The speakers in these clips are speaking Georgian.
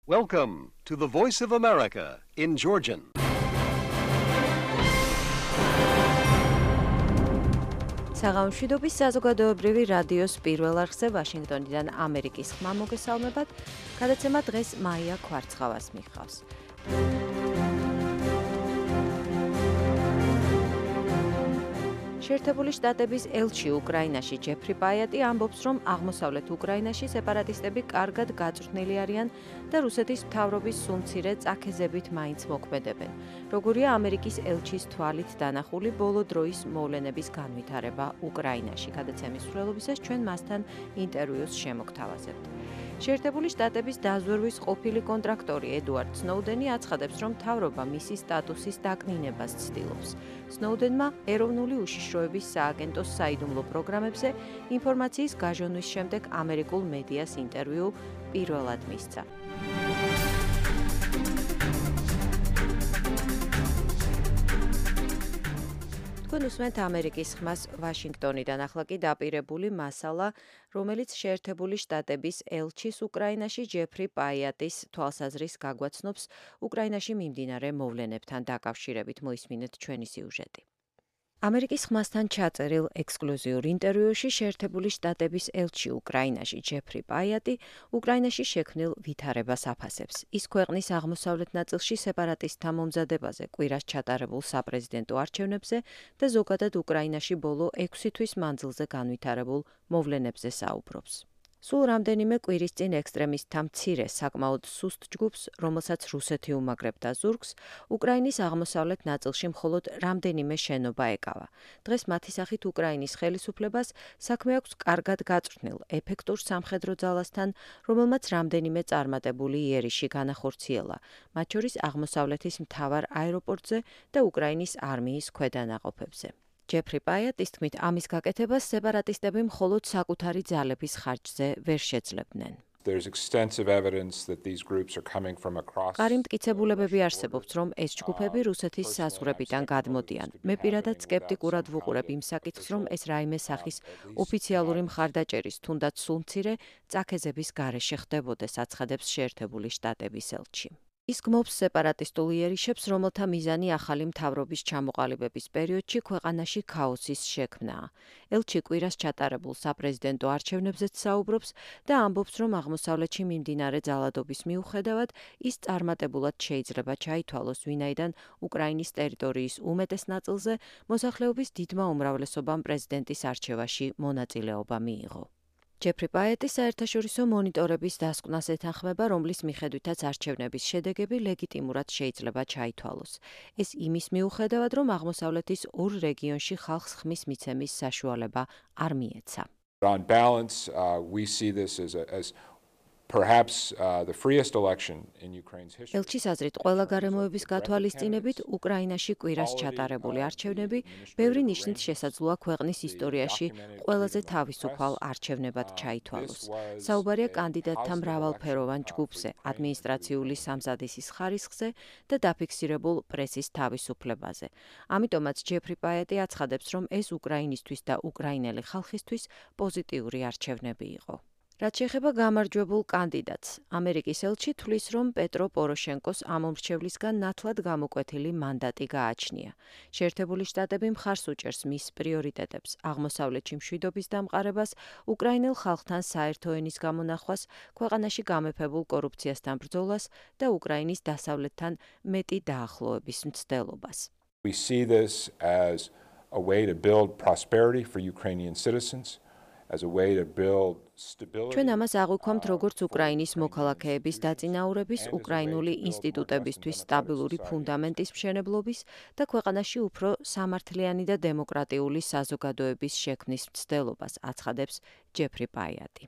Welcome to the Voice of America in Georgian. საღამოშვიდობის საზოგადოებრივი რადიოს პირველ არხზე ვაშინგტონიდან ამერიკის ხმა მოგესალმებათ. გადაცემა დღეს მაია კვარცხავას მიხავს. შეერთებული შტატების ელჩი უკრაინაში ჯეფრი პაიატი ამბობს, რომ აღმოსავლეთ უკრაინაში სეპარატისტები კარგად გაწვრთნილი არიან და რუსეთის მთავრობის სუმცირე წაქეზებით მაინც მოქმედებენ. როგორია ამერიკის ელჩის თვალით დანახული ბოლო დროის მოვლენების განვითარება უკრაინაში. გადაცემის მსვლელობისას ჩვენ მასთან ინტერვიუს შემოგთავაზებთ. შეერთებული შტატების დაზვერვის ყოფილი კონტრაქტორი ედუარდ სნოუდენი აცხადებს, რომ მთავრობა მისი სტატუსის დაკნინებას ცდილობს. სნოუდენმა ეროვნული უშიშროების სააგენტოს საიდუმლო პროგრამებზე ინფორმაციის გაჟონვის შემდეგ ამერიკულ მედიას ინტერვიუ პირველად მისცა. თქვენ უსმენთ ამერიკის ხმას ვაშინგტონიდან. ახლა კი დაპირებული მასალა, რომელიც შეერთებული შტატების ელჩის უკრაინაში ჯეფრი პაიატის თვალსაზრისს გაგვაცნობს უკრაინაში მიმდინარე მოვლენებთან დაკავშირებით. მოისმინეთ ჩვენი სიუჟეტი. ამერიკის ხმასთან ჩაწერილ ექსკლუზიურ ინტერვიუში შეერთებული შტატების ელჩი უკრაინაში ჯეფრი პაიატი უკრაინაში შექმნილ ვითარებას აფასებს. ის ქვეყნის აღმოსავლეთ ნაწილში სეპარატისტთა მომზადებაზე, კვირას ჩატარებულ საპრეზიდენტო არჩევნებზე და ზოგადად უკრაინაში ბოლო 6 თვის მანძილზე განვითარებულ მოვლენებზე საუბრობს. სულ რამდენიმე კვირის წინ ექსტრემისტთა მცირე, საკმაოდ სუსტ ჯგუფს, რომელსაც რუსეთი უმაგრებდა ზურგს, უკრაინის აღმოსავლეთ ნაწილში მხოლოდ რამდენიმე შენობა ეკავა. დღეს მათი სახით უკრაინის ხელისუფლებას საქმე აქვს კარგად გაწვრთნილ, ეფექტურ სამხედრო ძალასთან, რომელმაც რამდენიმე წარმატებული იერიში განახორციელა, მათ შორის აღმოსავლეთის მთავარ აეროპორტზე და უკრაინის არმიის ქვედანაყოფებზე. ჯეფრი პაიატის თქმით, ამის გაკეთებას სეპარატისტები მხოლოდ საკუთარი ძალების ხარჯზე ვერ შეძლებდნენ. მყარი მტკიცებულებები არსებობს, რომ ეს ჯგუფები რუსეთის საზღვრებიდან გადმოდიან. მე პირადად სკეპტიკურად ვუყურებ იმ საკითხს, რომ ეს რაიმე სახის ოფიციალური მხარდაჭერის, თუნდაც სულ მცირე წაქეზების გარეშე ხდებოდეს, აცხადებს შეერთებული შტატების ელჩი. ის გმობს სეპარატისტულ იერიშებს, რომელთა მიზანი ახალი მთავრობის ჩამოყალიბების პერიოდში ქვეყანაში ქაოსის შექმნაა. ელჩი კვირას ჩატარებულ საპრეზიდენტო არჩევნებზეც საუბრობს და ამბობს, რომ აღმოსავლეთში მიმდინარე ძალადობის მიუხედავად ის წარმატებულად შეიძლება ჩაითვალოს, ვინაიდან უკრაინის ტერიტორიის უმეტეს ნაწილზე მოსახლეობის დიდმა უმრავლესობამ პრეზიდენტის არჩევაში მონაწილეობა მიიღო. ჯეფრი პაიატი საერთაშორისო მონიტორების დასკვნას ეთანხმება, რომლის მიხედვითაც არჩევნების შედეგები ლეგიტიმურად შეიძლება ჩაითვალოს. ეს იმის მიუხედავად, რომ აღმოსავლეთის ორ რეგიონში ხალხს ხმის მიცემის საშუალება არ მიეცა. On balance, we see this as perhaps the freest election in Ukraine's history. ელჩის აზრით, ყველა გარემოების გათვალისწინებით უკრაინაში კვირას ჩატარებული არჩევნები ბევრი ნიშნით შესაძლოა ქვეყნის ისტორიაში ყველაზე თავისუფალ არჩევნებად ჩაითვალოს. საუბარია კანდიდატთა მრავალფეროვან ჯგუფზე, ადმინისტრაციული სამზადისის ხარისხზე და დაფიქსირებულ პრესის თავისუფლებაზე. ამიტომაც ჯეფრი პაიატი აცხადებს, რომ ეს უკრაინისთვის და უკრაინელი ხალხისთვის პოზიტიური არჩევნები იყო. რაც შეეხება გამარჯვებულ კანდიდატს, ამერიკის ელჩი თვლის, რომ პეტრო პოროშენკოს ამ მომრჩევლისგან ნათლად გამოკვეთილი მანდატი გააჩნია. შეერთებული შტატები მხარს უჭერს მის პრიორიტეტებს, აღმოსავლეთში მშვიდობის დამყარებას, უკრაინელ ხალხთან საერთო ენის გამონახვას, ქვეყანაში გამეფებულ კორუფციასთან ბრძოლას და უკრაინის დასავლეთთან მეტი დაახლოების მცდელობას. We see this as a way to build prosperity for Ukrainian citizens. As a way to build stability. ჩვენ ამას აღვიქვამთ როგორც უკრაინის მოქალაქეების დაწინაურების, უკრაინული ინსტიტუტებისთვის სტაბილური ფუნდამენტის მშენებლობის და ქვეყანაში უფრო სამართლიანი და დემოკრატიული საზოგადოების შექმნის მცდელობას, აცხადებს ჯეფრი პაიატი.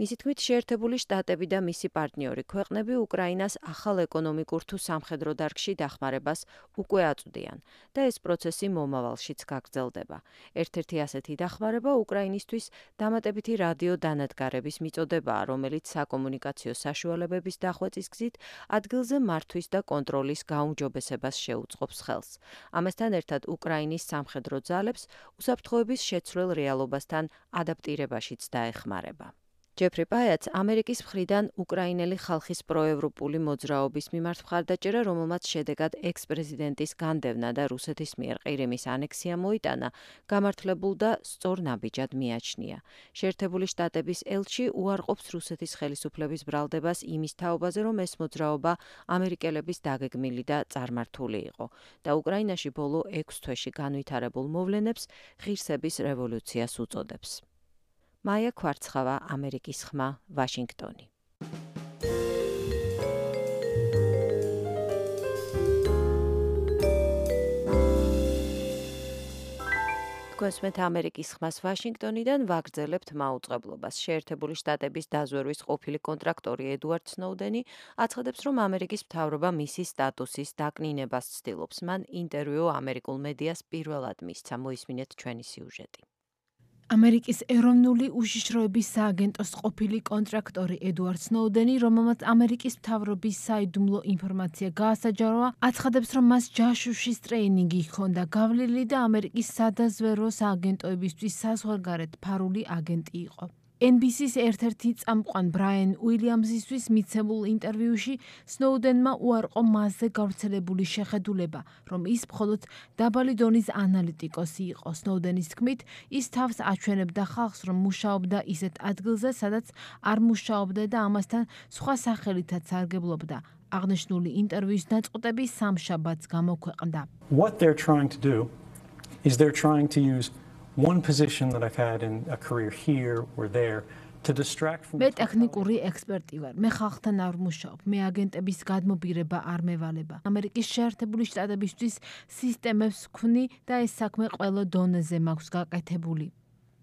მისი თქმით, შეერთებული შტატები და მისი პარტნიორი ქვეყნები უკრაინას ახალ ეკონომიკურ თუ სამხედრო დარგში დახმარებას უკვე აწვდიან და ეს პროცესი მომავალშიც გაგრძელდება. ერთ-ერთი ასეთი დახმარება უკრაინისთვის დამატებითი რადიო დანადგარების მიწოდებაა, რომელიც საკომუნიკაციო საშუალებების დახვეწის გზით ადგილზე მართვის და კონტროლის გაუმჯობესებას შეუწყობს ხელს. ამასთან ერთად უკრაინის სამხედრო ძალებს უსაფრთხოების შეცვლილ რეალობასთან ადაპტირებაშიც დაეხმარება. ჯეფრი პაიატს ამერიკის მხრიდან უკრაინელი ხალხის პროევროპული მოძრაობის მიმართ მხარდაჭერა, რომელმაც შედეგად ექს-პრეზიდენტის განდევნა და რუსეთის მიერ ყირიმის ანექსია მოიტანა, გამართლებულ და სწორ ნაბიჯად მიაჩნია. შეერთებული შტატების ელჩი უარყოფს რუსეთის ხელისუფლების ბრალდებას იმის თაობაზე, რომ ეს მოძრაობა ამერიკელების დაგეგმილი და წარმართული იყო და უკრაინაში ბოლო 6 თვეში განვითარებულ მოვლენებს ღირსების რევოლუციას უწოდებს. მაია ქვარცხავა, ამერიკის ხმა, ვაშინგტონი. გვესმენთ ამერიკის ხმას ვაშინგტონიდან, ვაგრძელებთ მაუწყებლობას. შეერთებული შტატების დაზვერვის ყოფილი კონტრაქტორი ედუარდ სნოუდენი აცხადებს, რომ ამერიკის მთავრობა მისი სტატუსის დაკნინებას ცდილობს. მან ინტერვიუ ამერიკულ მედიას პირველად მისცა. მოისმინეთ ჩვენი სიუჟეტი. ამერიკის ეროვნული უშიშროების სააგენტოს ყოფილი კონტრაქტორი ედუარდ სნოუდენი, რომელმაც ამერიკის მთავრობის საიდუმლო ინფორმაცია გაასაჯაროა, აცხადებს, რომ მას ჯაშუშის ტრეინინგი ჰქონდა გავლილი და ამერიკის სადაზვერვო სააგენტოებისთვის საზღვარგარეთ ფარული აგენტი იყო. NBC-ს ერთ-ერთი წამყვან ბრაიან უილიამსისთვის მიცემულ ინტერვიუში სნოუდენმა უარყო მასზე გავრცელებული შეხედულება, რომ ის მხოლოდ დაბალი დონის ანალიტიკოსი იყო. სნოუდენის თქმით, ის თავს აჩვენებდა ხალხს, რომ მუშაობდა ისეთ ადგილზე, სადაც არ მუშაობდა და ამასთან სხვა სახელითაც სარგებლობდა. აღნიშნული ინტერვიუს ნაწყვეტები სამშაბათს გამოქვეყნდა. What they're trying to do is they're trying to use one position that I've had in a career here or there to distract from მე ტექნიკური ექსპერტი ვარ. მე ხალხთან არ ვმუშაობ. მე აგენტების გადმობირება არ მევალება. ამერიკის შეერთებული შტატებისთვის სისტემებს ვქმნი და ეს საქმე ყველა დონეზე მაქვს გაკეთებული.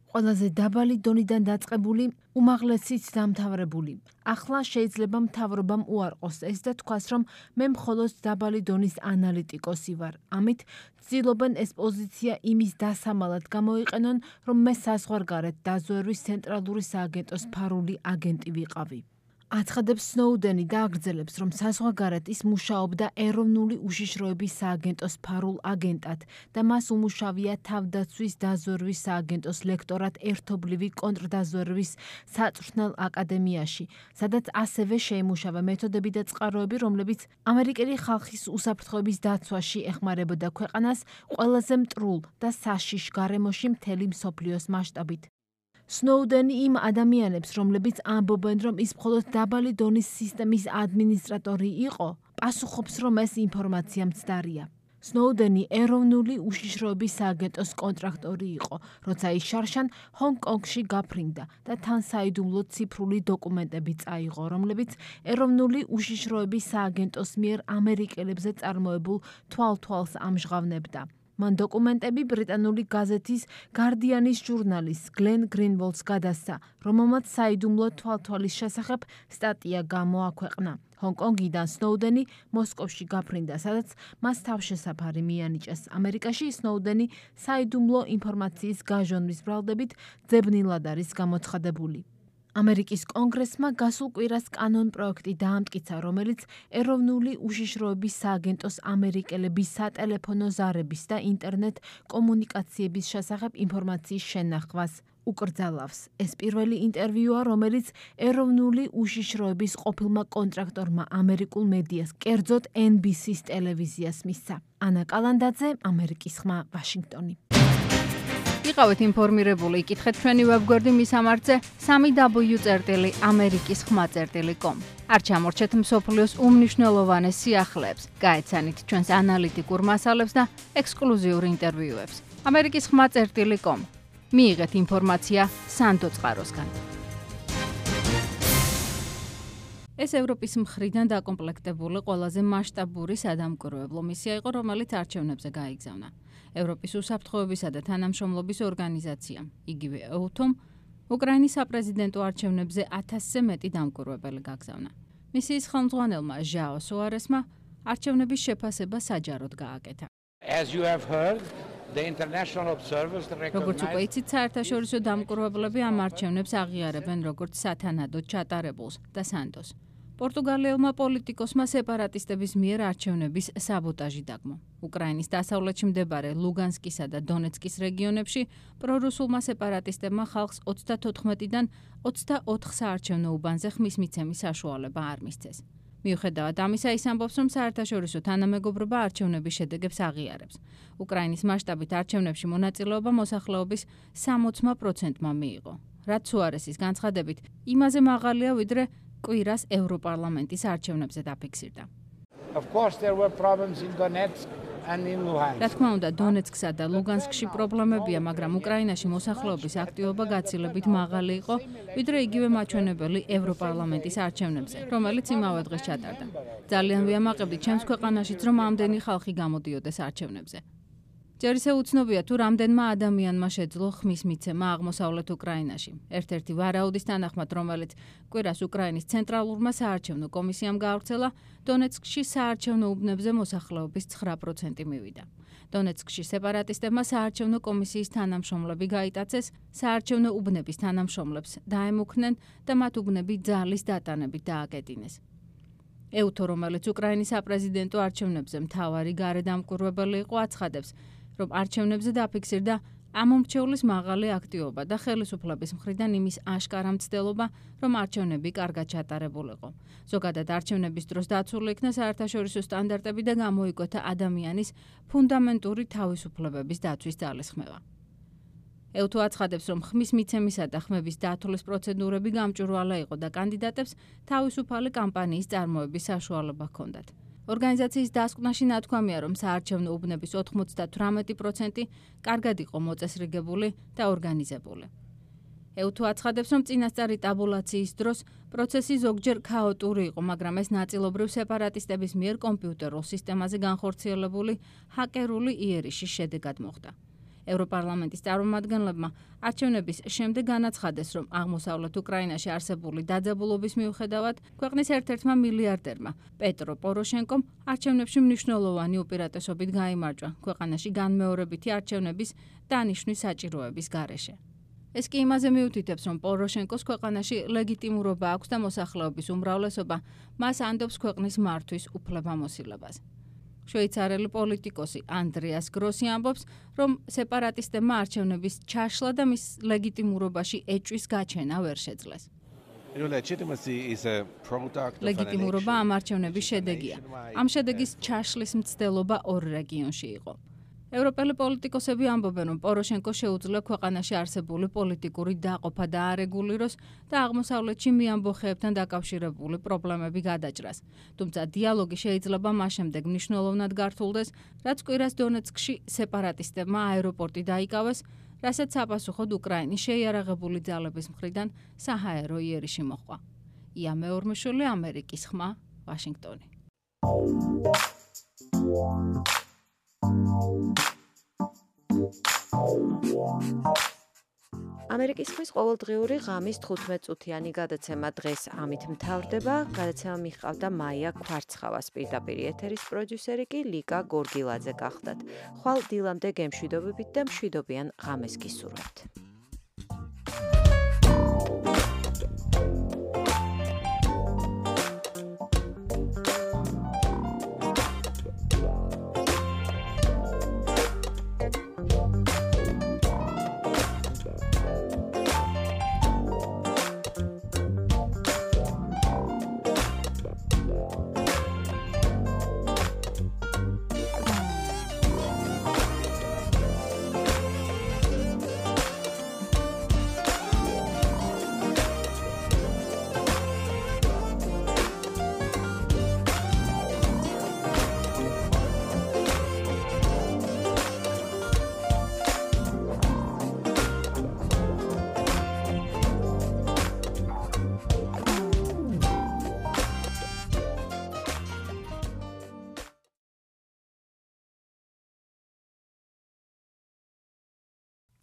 ყველაზე დაბალი დონიდან დაწყებული, უმაღლესით დამთავრებული. ახლა შეიძლება მთავრობამ უარყოს ეს და თქვას, რომ მე მხოლოდ დაბალი დონის ანალიტიკოსი ვარ. ამით ცდილობენ ეს პოზიცია იმის დასამალად გამოიყენონ, რომ მე საზღვარგარეთ დაზვერვის ცენტრალური სააგენტოს ფარული აგენტი ვიყავი. აცხადებს სნოუდენი და აგრძელებს, რომ საზღვარგარეთ ის მუშაობდა ეროვნული უშიშროების სააგენტოს ფარულ აგენტად და მას უმუშავია თავდაცვის დაზვერვის სააგენტოს ლექტორად ერთობლივი კონტრდაზვერვის საწვრთნელ აკადემიაში, სადაც ასევე შეიმუშავა მეთოდები და წყაროები, რომლებიც ამერიკელი ხალხის უსაფრთხოების დაცვაში ეხმარებოდა ქვეყანას ყველაზე მტრულ და საშიშ გარემოში მთელი მსოფლიოს მასშტაბით. სნოუდენი იმ ადამიანებს, რომლებიც ამბობენ, რომ ის მხოლოდ დაბალი დონის სისტემის ადმინისტრატორი იყო, პასუხობს, რომ ეს ინფორმაცია მცდარია. სნოუდენი ეროვნული უშიშროების სააგენტოს კონტრაქტორი იყო, როცა ის შარშან ჰონგ-კონგში გაფრინდა და თან საიდუმლო ციფრული დოკუმენტები წაიღო, რომლებიც ეროვნული უშიშროების სააგენტოს მიერ ამერიკელებზე წარმოებულ თვალთვალს ამჟღავნებდა. მან დოკუმენტები ბრიტანული გაზეთის გარდიანის ჟურნალის გლენ გრინვოლდს გადასცა, რომელმაც საიდუმლო თვალთვალის შესახებ სტატია გამოაქვეყნა. ჰონგ-კონგიდან სნოუდენი მოსკოვში გაფრინდა, სადაც მას თავშესაფარი მიანიჭეს. ამერიკაში სნოუდენი საიდუმლო ინფორმაციის გაჟონვის ბრალდებით ძებნილად არის გამოცხადებული. ამერიკის კონგრესმა გასულ კვირას კანონ-პროექტი დაამტკიცა, რომელიც ეროვნული უშიშროების სააგენტოს ამერიკელების სატელეფონო ზარების და ინტერნეტ კომუნიკაციების შესახებ ინფორმაციის შენახვას უკრძალავს. ეს პირველი ინტერვიუა, რომელიც ეროვნული უშიშროების ყოფილმა კონტრაქტორმა ამერიკულ მედიას, კერძოდ NBC-ს ტელევიზიას მისცა. ანა კალანდაძე, ამერიკის ხმა, ვაშინგტონი. იყავით ინფორმირებული, იკითხეთ ჩვენი ვებგვერდი მისამართზე 3w.amerikiskhma.com. არ ჩამორჩეთ მსოფლიოს უმნიშვნელოვანეს სიახლეებს, გაეცანით ჩვენს ანალიტიკურ მასალებს და ექსკლუზიურ ინტერვიუებს. amerikiskhma.com. მიიღეთ ინფორმაცია სანდო წყაროსგან. ეს ევროპის მხრიდან დაკომპლექტებული ყველაზე მასშტაბური სადამკვირვებლო მისია იყო, რომელიც არჩევნებზე გაიგზავნა. ევროპის უსაფრთხოებისა და თანამშრომლობის ორგანიზაციამ, იგივე EUTOM, უკრაინის საპრეზიდენტო არჩევნებზე 1000-ზე მეტი დამკვირვებელი გაგზავნა. მისიის ხელმძღვანელმა ჟაო სოარესმა არჩევნების შეფასება საჯაროდ გააკეთა. როგორც უკვე იცით, საერთაშორისო დამკვირვებლები ამ არჩევნებს აღიარებენ როგორც სათანადოდ ჩატარებულს და სანდოს. პორტუგალიელმა პოლიტიკოსმა სეპარატისტების მიერ არჩევნების საბოტაჟი დაგმო. უკრაინის დასავლეთში მდებარე ლუგანსკისა და დონეცკის რეგიონებში პრორუსულმა სეპარატისტებმა ხალხს 34-დან 24 საარჩევნო უბანზე ხმის მიცემის საშუალება არ მისცეს. მიუხედავად ამისა, ის ამბობს, რომ საერთაშორისო თანამეგობრობა არჩევნების შედეგებს აღიარებს. უკრაინის მასშტაბით არჩევნებში მონაწილეობა მოსახლეობის 60%-მა მიიღო. რაც სუარესის განცხადებით, იმაზე მაღალია, ვიდრე კვირას ევროპარლამენტის არჩევნებზე დაფიქსირდა. რა თქმა უნდა, დონეცკსა და ლუგანსკში პრობლემებია, მაგრამ უკრაინაში მოსახლეობის აქტივობა გაცილებით მაღალი იყო, ვიდრე იგივე მაჩვენებელი ევროპარლამენტის არჩევნებზე, რომელიც იმავე დღეს ჩატარდა. ძალიან ვიამაყებდი ჩემს ქვეყანაშიც, რომ ამდენი ხალხი გამოდიოდეს არჩევნებზე. ჯერ ისევ უცნობია, თუ რამდენმა ადამიანმა შეძლო ხმის მიცემა აღმოსავლეთ უკრაინაში. ერთ-ერთი ვარაუდის თანახმად, რომელიც კვირას უკრაინის ცენტრალურმა საარჩევნო კომისიამ გაავრცელა, დონეცკში საარჩევნო უბნებზე მოსახლეობის 9% მივიდა. დონეცკში სეპარატისტებმა საარჩევნო კომისიის თანამშრომლები გაიტაცეს, საარჩევნო უბნების თანამშრომლებს დაემუქნენ და მათ უბნები ძალის დატანებით დააკეტინეს. ეუთო, რომელიც უკრაინის საპრეზიდენტო არჩევნებზე მთავარი გარედამკვირვებელი იყო, აცხადებს, რომ არჩევნებზე დაფიქსირდა ამომრჩეულის მაღალი აქტივობა და ხელისუფლების მხრიდან იმის აშკარა მცდელობა, რომ არჩევნები კარგად ჩატარებულიყო. ზოგადად არჩევნების დროს დაცული იქნა საერთაშორისო სტანდარტები და გამოიკვეთა ადამიანის ფუნდამენტური თავისუფლებების დაცვის ძალისხმევა. ეუთო აცხადებს, რომ ხმის მიცემისა და ხმების დათვლის პროცედურები გამჭვირვალე იყო და კანდიდატებს თავისუფალი კამპანიის წარმოების საშუალება ჰქონდათ. ორგანიზაციის დასკვნაში ნათქვამია, რომ საარჩევნო უბნების 98% კარგად იყო მოწესრიგებული და ორგანიზებული. ეუთო აცხადებს, რომ წინასწარი ტაბულაციის დროს პროცესი ზოგჯერ ქაოტური იყო, მაგრამ ეს ნაწილობრივ სეპარატისტების მიერ კომპიუტერულ სისტემაზე განხორციელებული ჰაკერული იერიშის შედეგად მოხდა. ევროპარლამენტის წარმომადგენლებმა არჩევნების შემდეგ განაცხადეს, რომ აღმოსავლეთ უკრაინაში არსებული დაძაბულობის მიუხედავად ქვეყნის ერთ-ერთმა მილიარდერმა პეტრო პოროშენკომ არჩევნებში მნიშვნელოვანი უპირატესობით გაიმარჯვა ქვეყანაში განმეორებითი არჩევნების დანიშვნის საჭიროების გარეშე. ეს კი იმაზე მიუთითებს, რომ პოროშენკოს ქვეყანაში ლეგიტიმურობა აქვს და მოსახლეობის უმრავლესობა მას ანდობს ქვეყნის მართვის უფლებამოსილებას. შვეიცარელი პოლიტიკოსი ანდრეას გროსი ამბობს, რომ სეპარატისტებმა არჩევნების ჩაშლა და მის ლეგიტიმურობაში ეჭვის გაჩენა ვერ შეძლეს. ლეგიტიმურობა ამ არჩევნების შედეგია. ამ შედეგის ჩაშლის მცდელობა ორ რეგიონში იყო. ევროპელი პოლიტიკოსები ამბობენ, რომ პოროშენკო შეუძლია ქვეყანაში არსებული პოლიტიკური დაყოფა დაარეგულიროს და აღმოსავლეთში მიამბოხეებთან დაკავშირებული პრობლემები გადაჭრას. თუმცა დიალოგი შეიძლება მას შემდეგ მნიშვნელოვნად გართულდეს, რაც კვირას დონეცკში სეპარატისტებმა აეროპორტი დაიკავეს, რასაც საპასუხოდ უკრაინის შეიარაღებული ძალების მხრიდან საჰაერო იერიში მოჰყვა. ია მეორმეშვილი, ამერიკის ხმა, ვაშინგტონი. ამერიკის ხმის ყოველდღიური ღამის 15-წუთიანი გადაცემა დღეს ამით მთავრდება. გადაცემა მიჰყავდა მაია ქვარცხავას, პირდაპირ ეთერის პროდიუსერი კი ლიკა გორგილაძე გახლდათ. ხვალ დილამდე გემშვიდობებით და მშვიდობიან ღამეს გისურვებთ.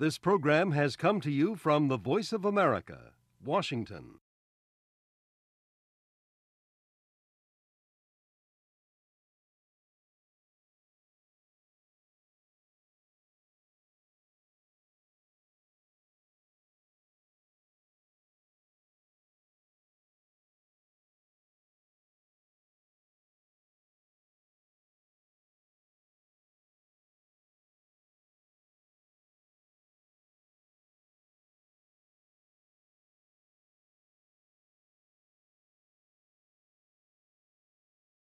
This program has come to you from the Voice of America, Washington.